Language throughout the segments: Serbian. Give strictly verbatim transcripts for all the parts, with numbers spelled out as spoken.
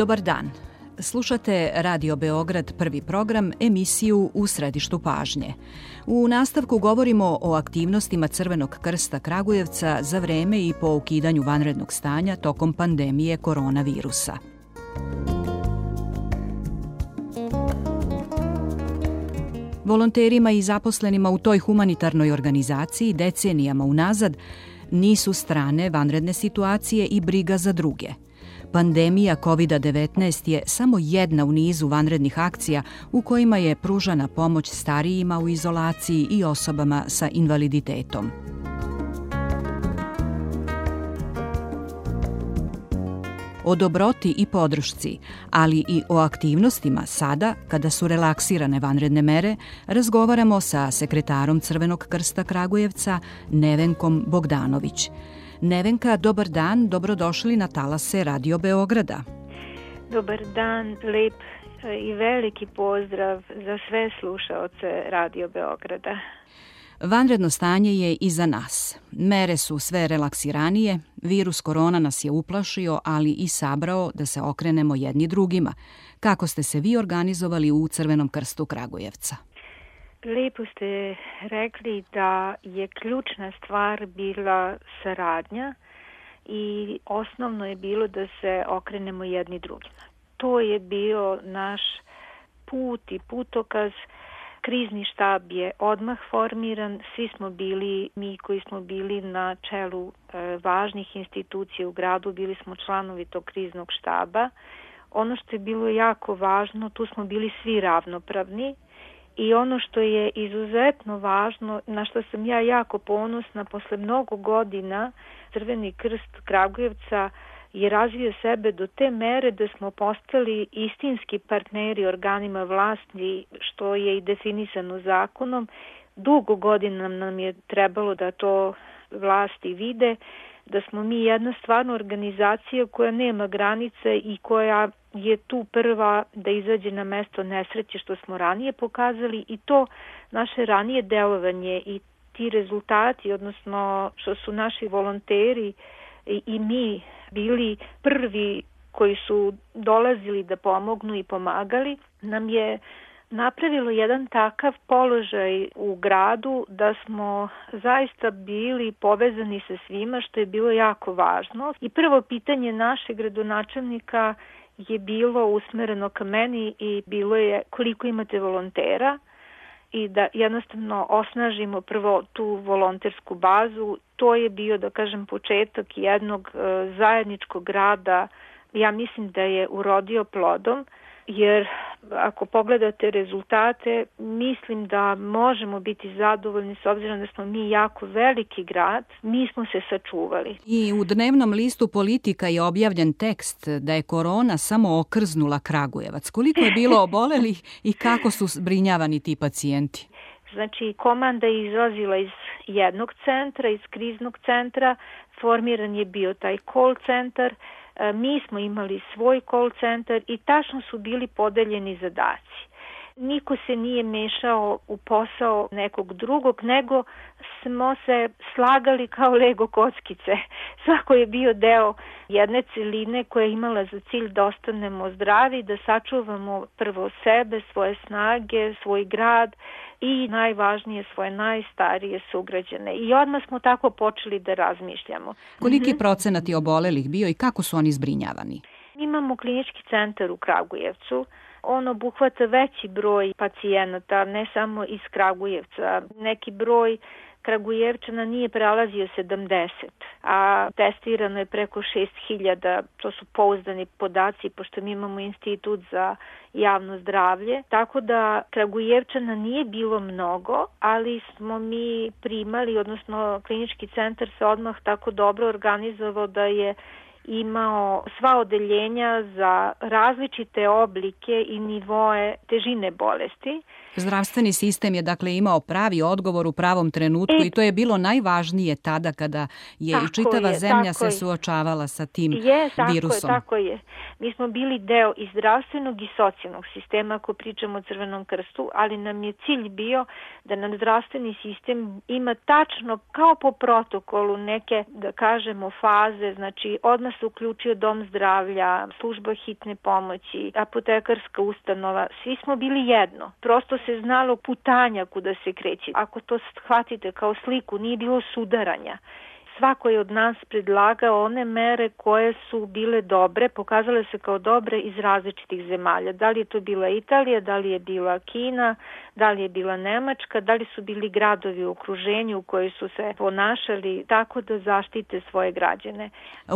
Dobar dan. Slušate Radio Beograd, prvi program, emisiju U središtu pažnje. U nastavku govorimo o aktivnostima Crvenog krsta Kragujevca za vreme i po ukidanju vanrednog stanja tokom pandemije koronavirusa. Volonterima i zaposlenima u toj humanitarnoj organizaciji decenijama unazad nisu strane vanredne situacije i briga za druge. Pandemija kovid devetnaest je samo jedna u nizu vanrednih akcija u kojima je pružana pomoć starijima u izolaciji i osobama sa invaliditetom. O dobroti i podršci, ali i o aktivnostima sada, kada su relaksirane vanredne mere, razgovaramo sa sekretarom Crvenog krsta Kragujevca, Nevenkom Bogdanović. Nevenka, dobar dan, dobrodošli na talase Radio Beograda. Dobar dan, lep i veliki pozdrav za sve slušaoce Radio Beograda. Vanredno stanje je iza nas. Mere su sve relaksiranije, virus korona nas je uplašio, ali i sabrao da se okrenemo jedni drugima. Kako ste se vi organizovali u Crvenom krstu Kragujevca? Lepo ste rekli da je ključna stvar bila saradnja i osnovno je bilo da se okrenemo jedni drugima. To je bio naš put i putokaz. Krizni štab je odmah formiran, svi smo bili, mi koji smo bili na čelu e, važnih institucija u gradu, bili smo članovi tog kriznog štaba. Ono što je bilo jako važno, tu smo bili svi ravnopravni i ono što je izuzetno važno, na što sam ja jako ponosna, posle mnogo godina Crveni krst Kragujevca je razvio sebe do te mere da smo postali istinski partneri organima vlasti, što je i definisano zakonom. Dugo godina nam je trebalo da to vlasti vide, da smo mi jedna stvarno organizacija koja nema granice i koja je tu prva da izađe na mesto nesreće, što smo ranije pokazali, i to naše ranije delovanje i ti rezultati, odnosno što su naši volonteri i, i mi bili prvi koji su dolazili da pomognu i pomagali, nam je napravilo jedan takav položaj u gradu da smo zaista bili povezani sa svima, što je bilo jako važno. I prvo pitanje našeg gradonačelnika je bilo usmereno ka meni i bilo je koliko imate volontera i da jednostavno osnažimo prvo tu volontersku bazu. To je bio, da kažem, početak jednog e, zajedničkog rada. Ja mislim da je urodio plodom, jer ako pogledate rezultate, mislim da možemo biti zadovoljni s obzirom da smo mi jako veliki grad, mi smo se sačuvali. I u dnevnom listu Politika je objavljen tekst da je korona samo okrznula Kragujevac. Koliko je bilo obolelih i kako su zbrinjavani ti pacijenti? Znači, komanda je izlazila iz jednog centra, iz kriznog centra, formiran je bio taj call centar, mi smo imali svoj call centar i tačno su bili podeljeni zadaci. Niko se nije mešao u posao nekog drugog, nego smo se slagali kao Lego kockice. Svako je bio deo jedne celine koja je imala za cilj da ostanemo zdravi, da sačuvamo prvo sebe, svoje snage, svoj grad i najvažnije svoje najstarije sugrađane. I odmah smo tako počeli da razmišljamo. Koliki je procenat je obolelih bio i kako su oni zbrinjavani? Imamo klinički centar u Kragujevcu. On obuhvata veći broj pacijenata, ne samo iz Kragujevca. Neki broj Kragujevčana nije prelazio sedamdeset, a testirano je preko šest hiljada, to su pouzdani podaci, pošto mi imamo institut za javno zdravlje. Tako da Kragujevčana nije bilo mnogo, ali smo mi primali, odnosno klinički centar se odmah tako dobro organizovao da je imao sva odeljenja za različite oblike i nivoe težine bolesti. Zdravstveni sistem je dakle imao pravi odgovor u pravom trenutku e, i to je bilo najvažnije tada kada je i čitava je, zemlja se suočavala sa tim je, tako virusom. Je, tako je. Mi smo bili deo i zdravstvenog i socijalnog sistema ako pričamo o Crvenom krstu, ali nam je cilj bio da nam zdravstveni sistem ima tačno kao po protokolu neke, da kažemo, faze. Znači odmah nama se uključio dom zdravlja, služba hitne pomoći, apotekarska ustanova. Svi smo bili jedno. Prosto se znalo putanja kuda se kreće. Ako to shvatite kao sliku, nije bilo sudaranja. Svako je od nas predlagao one mere koje su bile dobre, pokazale se kao dobre iz različitih zemalja. Da li je to bila Italija, da li je bila Kina, da li je bila Nemačka, da li su bili gradovi u okruženju u koji su se ponašali tako da zaštite svoje građane.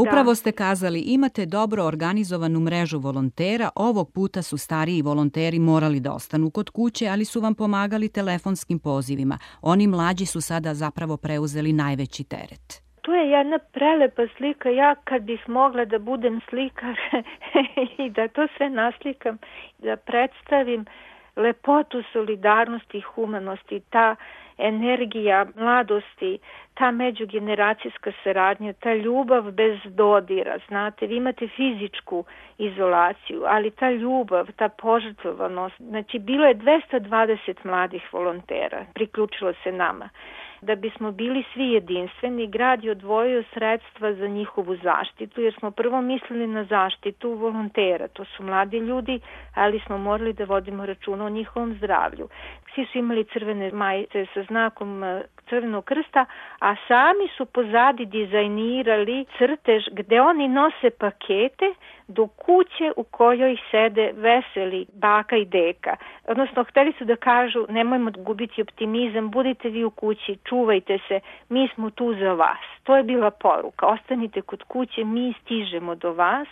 Upravo Da. ste kazali, imate dobro organizovanu mrežu volontera, ovog puta su stariji volonteri morali da ostanu kod kuće, ali su vam pomagali telefonskim pozivima. Oni mlađi su sada zapravo preuzeli najveći teret. Tu je jedna prelepa slika. Ja kad bih mogla da budem slikar i da to sve naslikam, da predstavim lepotu solidarnosti i humanosti, ta energija mladosti, ta međugeneracijska saradnja, ta ljubav bez dodira, znate, vi imate fizičku izolaciju, ali ta ljubav, ta požrtvovanost, znači bilo je dvesta dvadeset mladih volontera, priključilo se nama. Da bismo bili svi jedinstveni, grad je odvojio sredstva za njihovu zaštitu, jer smo prvo mislili na zaštitu volontera. To su mladi ljudi, ali smo morali da vodimo računa o njihovom zdravlju. Svi su imali crvene majice sa znakom Crvenog krsta, a sami su pozadi dizajnirali crtež gde oni nose pakete do kuće u kojoj sede veseli baka i deka. Odnosno, hteli su da kažu, nemojmo gubiti optimizam, budite vi u kući, čuvajte se, mi smo tu za vas. To je bila poruka, ostanite kod kuće, mi stižemo do vas.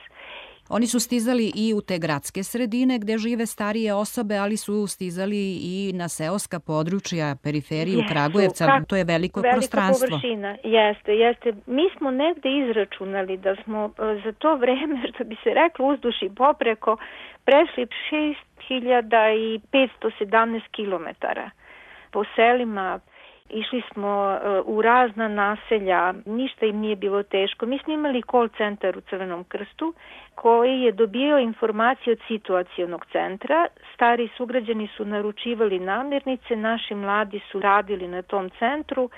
Oni su stizali i u te gradske sredine gde žive starije osobe, ali su stizali i na seoska područja, periferiju Jesu, Kragujevca, kak, to je veliko velika prostranstvo. Površina, jeste, jeste. Mi smo negde izračunali da smo za to vreme, što bi se reklo uzduž i popreko, prešli šest hiljada petsto sedamnaest kilometara po selima. Išli smo u razna naselja, ništa im nije bilo teško. Mi smo imali call centar u Crvenom krstu koji je dobio informacije od situacionog centra. Stari sugrađani su naručivali namirnice, naši mladi su radili na tom centru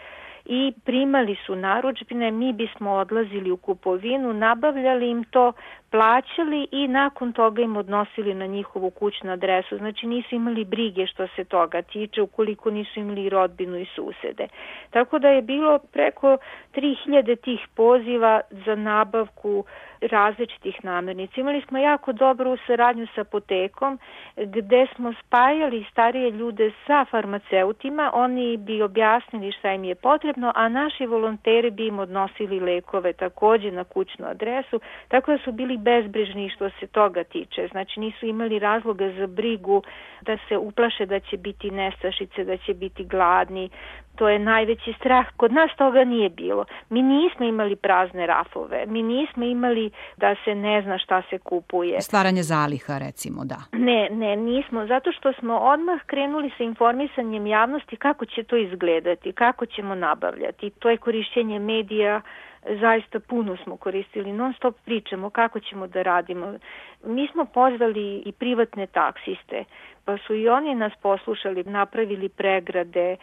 i primali su narudžbine, mi bismo odlazili u kupovinu, nabavljali im to, plaćali i nakon toga im odnosili na njihovu kućnu adresu. Znači nisu imali brige što se toga tiče, ukoliko nisu imali rodbinu i susede. Tako da je bilo preko tri hiljade tih poziva za nabavku različitih namirnica. Imali smo jako dobru saradnju sa apotekom gde smo spajali starije ljude sa farmaceutima, oni bi objasnili šta im je potrebno, a naši volonteri bi im odnosili lekove takođe na kućnu adresu, tako da su bili bezbrižni što se toga tiče. Znači nisu imali razloga za brigu da se uplaše da će biti nestašice, da će biti gladni. To je najveći strah. Kod nas toga nije bilo. Mi nismo imali prazne rafove. Mi nismo imali da se ne zna šta se kupuje. Stvaranje zaliha, recimo, da. Ne, ne, nismo. Zato što smo odmah krenuli sa informisanjem javnosti kako će to izgledati, kako ćemo nabavljati. To je korišćenje medija, zaista puno smo koristili, non stop pričamo kako ćemo da radimo. Mi smo pozvali i privatne taksiste, pa su i oni nas poslušali, napravili pregrade,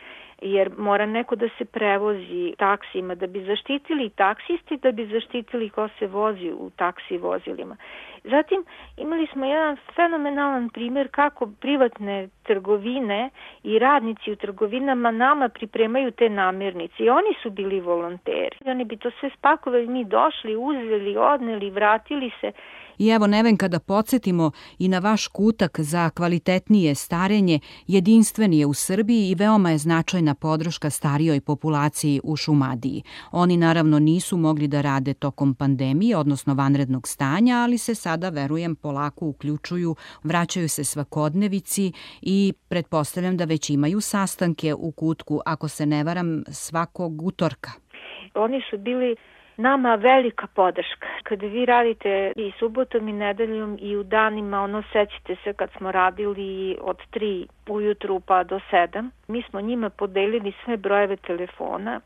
jer mora neko da se prevozi taksima, da bi zaštitili taksisti, da bi zaštitili ko se vozi u taksi vozilima. Zatim imali smo jedan fenomenalan primjer kako privatne trgovine i radnici u trgovinama nama pripremaju te namirnice i oni su bili volonteri. Oni bi to sve spakovali, mi došli, uzeli, odneli, vratili se. I evo, Nevenka, da podsjetimo i na vaš kutak za kvalitetnije starenje, jedinstven je u Srbiji i veoma je značajna podrška starijoj populaciji u Šumadiji. Oni naravno nisu mogli da rade tokom pandemije, odnosno vanrednog stanja, ali se sada, verujem, polako uključuju, vraćaju se svakodnevici i pretpostavljam da već imaju sastanke u kutku, ako se ne varam, svakog utorka. Oni su bili nama velika podrška. Kada vi radite i subotom i nedeljom i u danima, ono, sećate se kad smo radili od tri ujutru pa do sedam, mi smo njima podelili sve brojeve telefona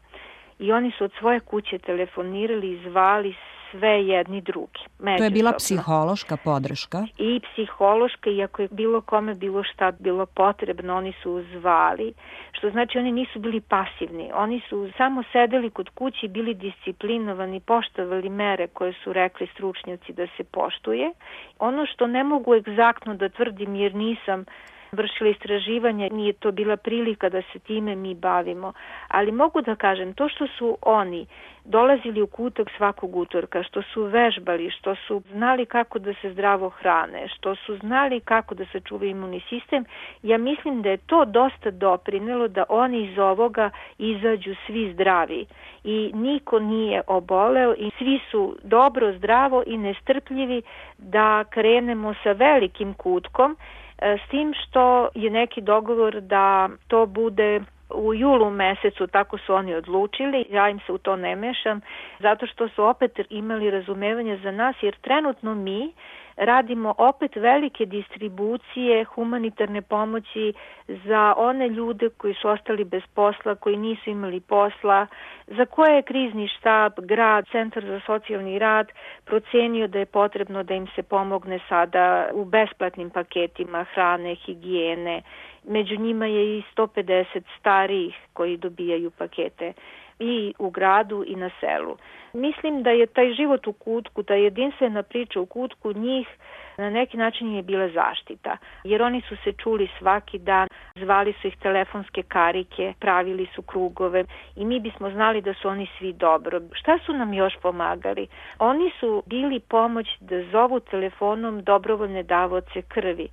i oni su od svoje kuće telefonirali i zvali sve jedni drugi. To je bila psihološka podrška? I psihološka, i ako je bilo kome bilo šta bilo potrebno, oni su zvali, što znači oni nisu bili pasivni, oni su samo sedeli kod kući, bili disciplinovani, poštovali mere koje su rekli stručnjaci da se poštuje. Ono što ne mogu egzaktno da tvrdim jer nisam vršila istraživanja, nije to bila prilika da se time mi bavimo, ali mogu da kažem, to što su oni dolazili u kutak svakog utorka, što su vežbali, što su znali kako da se zdravo hrane, što su znali kako da se čuva imunni sistem, ja mislim da je to dosta doprinelo da oni iz ovoga izađu svi zdravi i niko nije oboleo i svi su dobro, zdravo i nestrpljivi da krenemo sa velikim kutkom, s tim što je neki dogovor da to bude u julu mesecu, tako su oni odlučili, ja im se u to ne mešam, zato što su opet imali razumevanje za nas, jer trenutno mi radimo opet velike distribucije humanitarne pomoći za one ljude koji su ostali bez posla, koji nisu imali posla, za koje je krizni štab, grad, centar za socijalni rad procenio da je potrebno da im se pomogne sada u besplatnim paketima hrane, higijene. Među njima je i sto pedeset starijih koji dobijaju pakete i u gradu i na selu. Mislim da je taj život u kutku, ta jedinstvena priča u kutku njih na neki način je bila zaštita, jer oni su se čuli svaki dan, zvali su ih telefonske karike, pravili su krugove i mi bismo znali da su oni svi dobro. Šta su nam još pomagali? Oni su bili pomoć da zovu telefonom dobrovoljne davaoce krvi.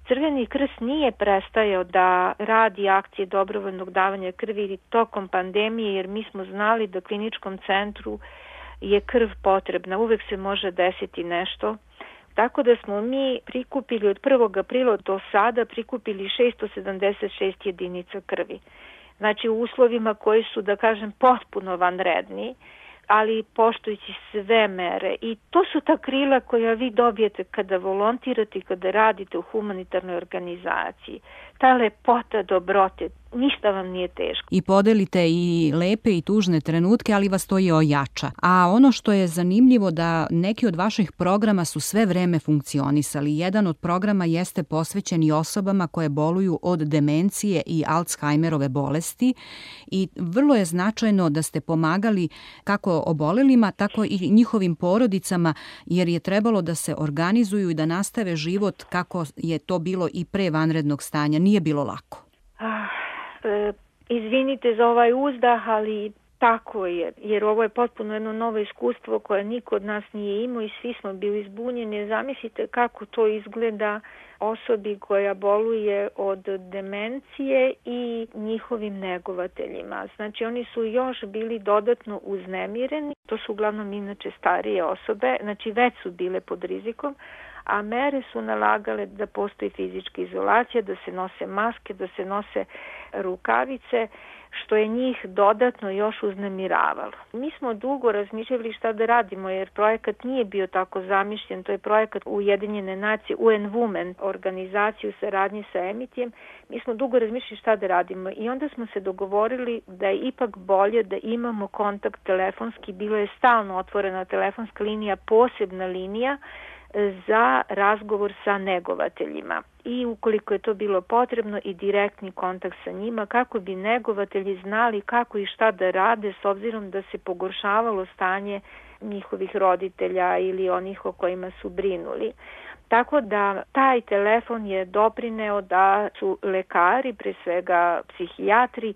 Crveni krst nije prestajao da radi akcije dobrovoljnog davanja krvi tokom pandemije, jer mi smo znali da kliničkom centru je krv potrebna, uvek se može desiti nešto. Tako da smo mi prikupili od prvog aprila do sada prikupili šesto sedamdeset šest jedinica krvi. Znači u uslovima koji su, da kažem, potpuno vanredni, ali poštujući sve mere. I to su ta krila koja vi dobijete kada volontirate i kada radite u humanitarnoj organizaciji. Ta lepota dobrote, ništa vam nije teško. I podelite i lepe i tužne trenutke, ali vas to i ojača. A ono što je zanimljivo da neki od vaših programa su sve vreme funkcionisali. Jedan od programa jeste posvećen i osobama koje boluju od demencije i Alzheimerove bolesti i vrlo je značajno da ste pomagali kako obolelima, tako i njihovim porodicama, jer je trebalo da se organizuju i da nastave život kako je to bilo i pre vanrednog stanja. Nije bilo lako. Ah, e, izvinite za ovaj uzdah, ali tako je, jer ovo je potpuno jedno novo iskustvo koje niko od nas nije imao i svi smo bili zbunjeni. Zamislite kako to izgleda osobi koja boluje od demencije i njihovim negovateljima. Znači oni su još bili dodatno uznemireni, to su uglavnom inače starije osobe, znači već su bile pod rizikom, a mere su nalagale da postoji fizička izolacija, da se nose maske, da se nose rukavice, što je njih dodatno još uznemiravalo. Mi smo dugo razmišljali šta da radimo, jer projekat nije bio tako zamišljen. To je projekat Ujedinjene nacije, U N Women, organizaciju saradnje sa Emitijem. Mi smo dugo razmišljali šta da radimo i onda smo se dogovorili da je ipak bolje da imamo kontakt telefonski. Bilo je stalno otvorena telefonska linija, posebna linija za razgovor sa negovateljima i ukoliko je to bilo potrebno i direktni kontakt sa njima kako bi negovatelji znali kako i šta da rade s obzirom da se pogoršavalo stanje njihovih roditelja ili onih o kojima su brinuli. Tako da taj telefon je doprineo da su lekari, pre svega psihijatri,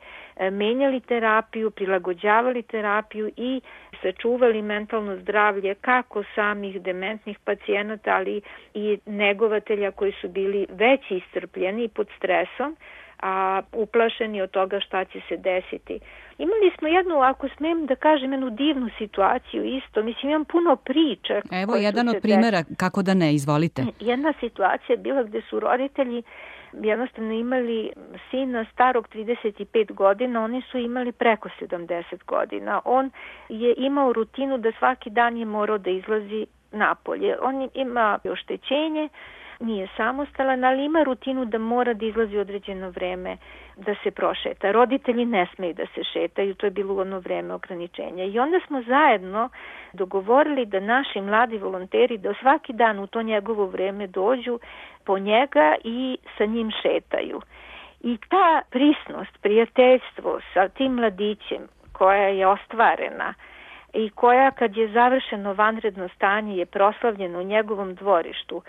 menjali terapiju, prilagođavali terapiju i sačuvali mentalno zdravlje kako samih dementnih pacijenata, ali i negovatelja koji su bili već iscrpljeni pod stresom, a uplašeni od toga šta će se desiti. Imali smo jednu, ako smem da kažem, jednu divnu situaciju isto. Mislim, imam puno priča. Evo jedan od primjera, kako da ne, izvolite. Jedna situacija je bila gde su roditelji jednostavno imali sina starog trideset pet godina, oni su imali preko sedamdeset godina. On je imao rutinu da svaki dan je morao da izlazi napolje. On ima oštećenje, nije samostalan, ali ima rutinu da mora da izlazi određeno vreme da se prošeta. Roditelji ne smeju da se šetaju, to je bilo ono vreme ograničenja. I onda smo zajedno dogovorili da naši mladi volonteri da svaki dan u to njegovo vreme dođu po njega i sa njim šetaju. I ta prisnost, prijateljstvo sa tim mladićem koja je ostvarena i koja kad je završeno vanredno stanje je proslavljeno u njegovom dvorištu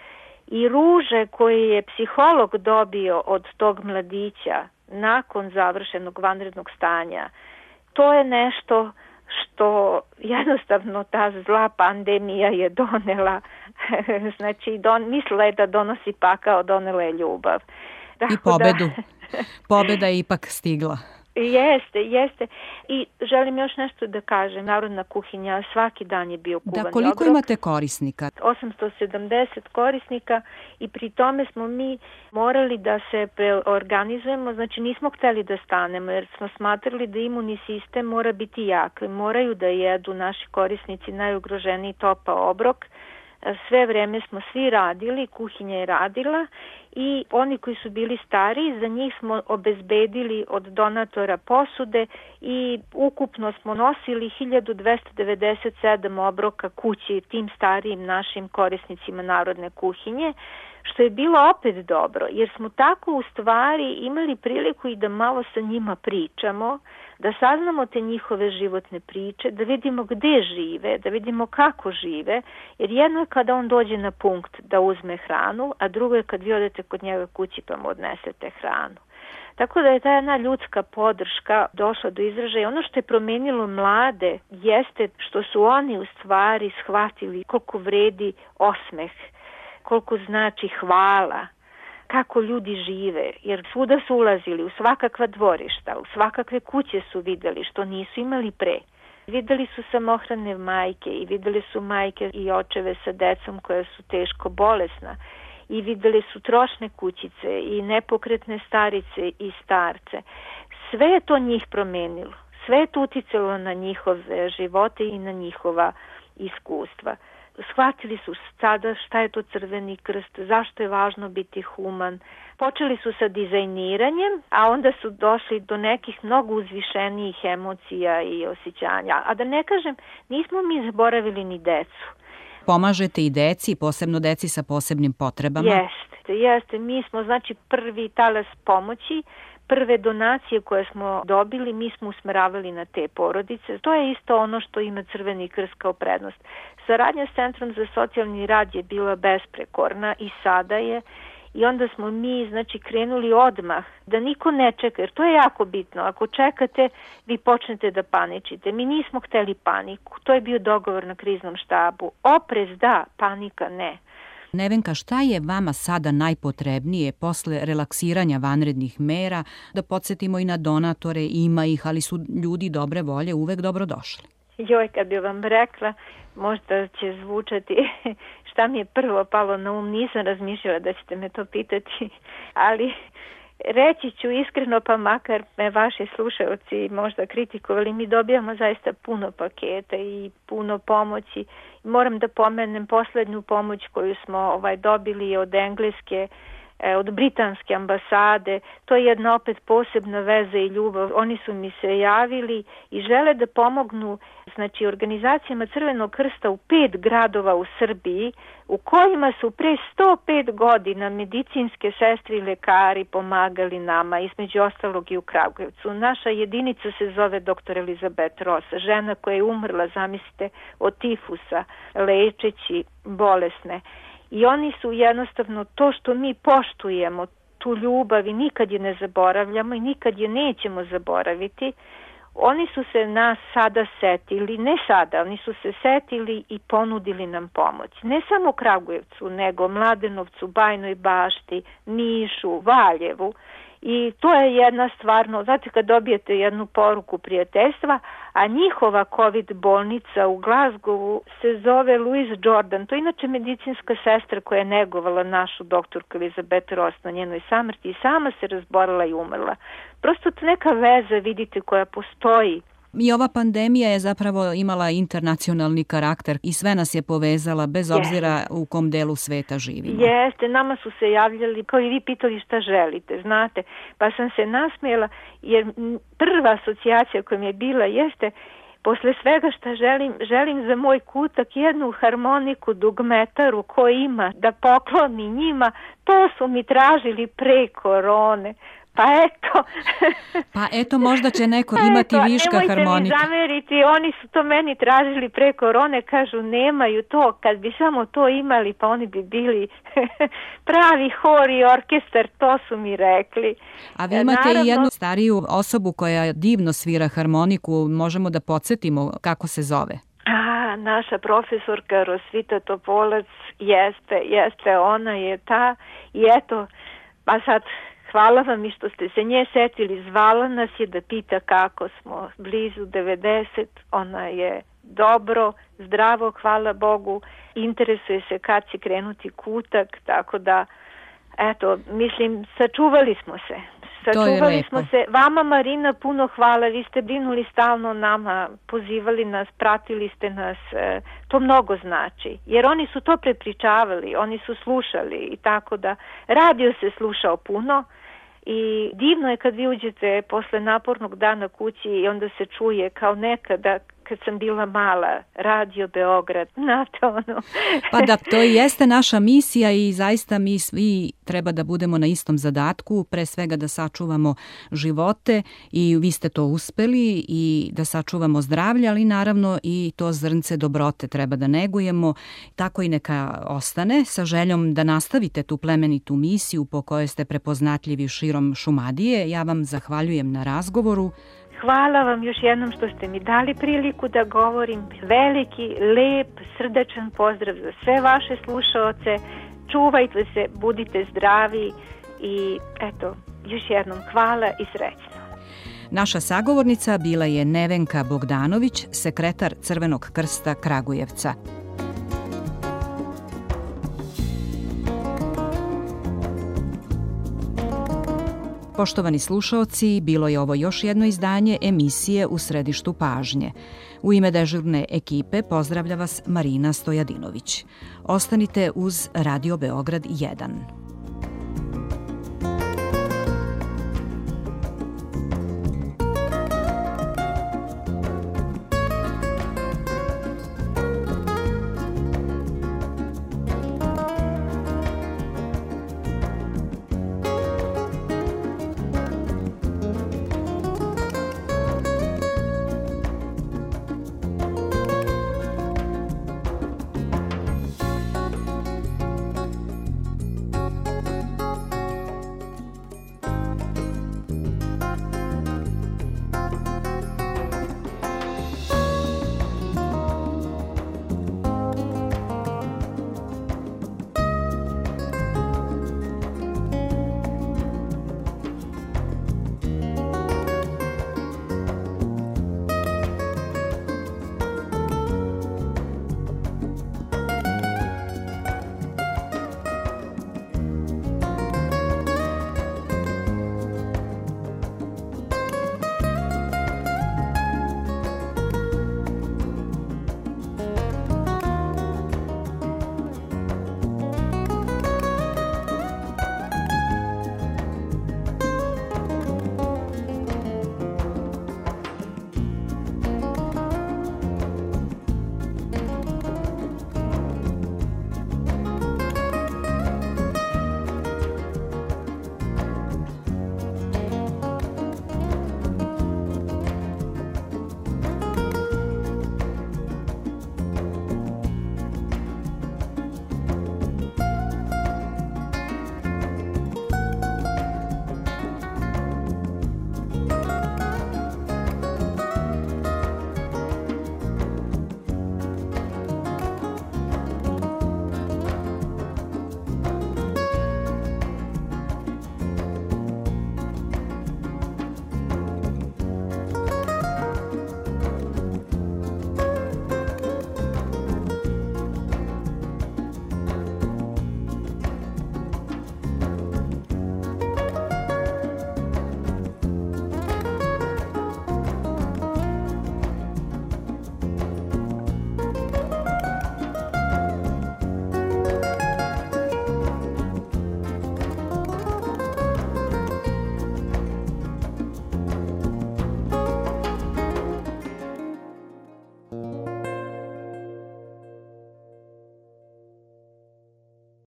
i ruže koje je psiholog dobio od tog mladića nakon završenog vanrednog stanja, to je nešto što jednostavno ta zla pandemija je donela, znači don, mislila je da donosi pakao, donela je ljubav. Tako I pobedu. Da, pobeda je ipak stigla. Jeste, jeste. I želim još nešto da kažem. Narodna kuhinja svaki dan je bio kuvani obrok. Da, koliko obrok. Imate korisnika? osamsto sedamdeset korisnika i pri tome smo mi morali da se organizujemo. Znači nismo hteli da stanemo jer smo smatrali da imunni sistem mora biti jak. Moraju da jedu naši korisnici najugroženiji topao obrok. Sve vreme smo svi radili, kuhinja je radila i oni koji su bili stariji, za njih smo obezbedili od donatora posude i ukupno smo nosili hiljadu dvesta devedeset sedam obroka kući tim starijim našim korisnicima narodne kuhinje, što je bilo opet dobro, jer smo tako u stvari imali priliku i da malo sa njima pričamo, da saznamo te njihove životne priče, da vidimo gde žive, da vidimo kako žive, jer jedno je kada on dođe na punkt da uzme hranu, a drugo je kad vi odete kod njega kući pa mu odnesete hranu. Tako da je ta jedna ljudska podrška došla do izražaja. Ono što je promenilo mlade jeste što su oni u stvari shvatili koliko vredi osmeh, koliko znači hvala, kako ljudi žive, jer svuda su ulazili, u svakakva dvorišta, u svakakve kuće su videli što nisu imali pre. Videli su samohrane majke i videli su majke i očeve sa decom koja su teško bolesna i videli su trošne kućice i nepokretne starice i starce. Sve je to njih promenilo, sve je to uticalo na njihove živote i na njihova iskustva. Shvatili su sada šta je to Crveni krst, zašto je važno biti human. Počeli su sa dizajniranjem, a onda su došli do nekih mnogo uzvišenijih emocija i osjećanja. A da ne kažem, nismo mi zaboravili ni decu. Pomažete i deci, posebno deci sa posebnim potrebama? Jeste, jeste. Mi smo znači prvi talas pomoći. Prve donacije koje smo dobili, mi smo usmeravali na te porodice. To je isto ono što ima Crveni krst kao prednost. Saradnja s Centrom za socijalni rad je bila besprekorna i sada je. I onda smo mi znači krenuli odmah, da niko ne čeka, jer to je jako bitno. Ako čekate, vi počnete da paničite. Mi nismo hteli paniku. To je bio dogovor na kriznom štabu. Oprez da, panika ne. Nevenka, šta je vama sada najpotrebnije posle relaksiranja vanrednih mera? Da podsjetimo i na donatore, ima ih, ali su ljudi dobre volje uvek dobrodošli. Joj, kad bi vam rekla, možda će zvučati šta mi je prvo palo na um, nisam razmišljala da ćete me to pitati, ali reći ću iskreno, pa makar me vaši slušalci možda kritikovali, mi dobijamo zaista puno paketa i puno pomoći. Moram da pomenem poslednju pomoć koju smo ovaj dobili od engleske, od britanske ambasade. To je jedna opet posebna veza i ljubav. Oni su mi se javili i žele da pomognu znači organizacijama Crvenog krsta u pet gradova u Srbiji u kojima su pre sto pet godina medicinske sestre i lekari pomagali nama, između ostalog i u Kragujevcu. Naša jedinica se zove doktor Elizabeth Ross, žena koja je umrla, zamislite, od tifusa, lečeći bolesne. I oni su jednostavno to što mi poštujemo, tu ljubav i nikad je ne zaboravljamo i nikad je nećemo zaboraviti, oni su se nas sada setili, ne sada, oni su se setili i ponudili nam pomoć. Ne samo Kragujevcu, nego Mladenovcu, Bajnoj Bašti, Nišu, Valjevu. I to je jedna stvarno, znate kad dobijete jednu poruku prijateljstva, a njihova COVID bolnica u Glasgowu se zove Louise Jordan, to je inače medicinska sestra koja je negovala našu doktorku Elizabeth Ross na njenoj samrti i sama se razborila i umrla. Prosto to neka veza, vidite, koja postoji I ova pandemija je zapravo imala internacionalni karakter i sve nas je povezala bez obzira Jeste. u kom delu sveta živimo. Jeste, nama su se javljali, kao i vi pitali šta želite, znate, pa sam se nasmijela jer prva asocijacija koja mi je bila jeste posle svega šta želim, želim za moj kutak jednu harmoniku dugmetaru koju ima da pokloni njima, to su mi tražili pre korone. Pa eto. Pa eto, možda će neko imati eto, viška harmonika. Nemojte mi zameriti, oni su to meni tražili pre korone, kažu nemaju to, kad bi samo to imali pa oni bi bili pravi hor i orkestar, to su mi rekli. A vi imate Naravno, i jednu stariju osobu koja divno svira harmoniku, možemo da podsjetimo kako se zove? A, naša profesorka Rosvita Topolac, jeste, jeste, ona je ta i eto, pa sad hvala vam i što ste se nje setili, zvala nas je da pita kako smo, blizu devedeset, ona je dobro, zdravo, hvala Bogu, interesuje se kad će krenuti kutak, tako da, eto, mislim, sačuvali smo se. Sačuvali smo se. Vama, Marina, puno hvala, vi ste brinuli stalno nama, pozivali nas, pratili ste nas, to mnogo znači, jer oni su to prepričavali, oni su slušali i tako da, radio se slušao puno i divno je kad vi uđete posle napornog dana kući i onda se čuje kao nekada kad sam bila mala, Radio Beograd, znate ono. Pa da, to i jeste naša misija i zaista mi svi treba da budemo na istom zadatku, pre svega da sačuvamo živote i vi ste to uspeli i da sačuvamo zdravlje, ali naravno i to zrnce dobrote treba da negujemo, tako i neka ostane sa željom da nastavite tu plemenitu misiju po kojoj ste prepoznatljivi širom Šumadije. Ja vam zahvaljujem na razgovoru. Hvala vam još jednom što ste mi dali priliku da govorim. Veliki, lep, srdačan pozdrav za sve vaše slušaoce. Čuvajte se, budite zdravi i eto, još jednom hvala i srećno. Naša sagovornica bila je Nevenka Bogdanović, sekretar Crvenog krsta Kragujevca. Poštovani slušaoci, bilo je ovo još jedno izdanje emisije U središtu pažnje. U ime dežurne ekipe pozdravlja vas Marina Stojadinović. Ostanite uz Radio Beograd jedan.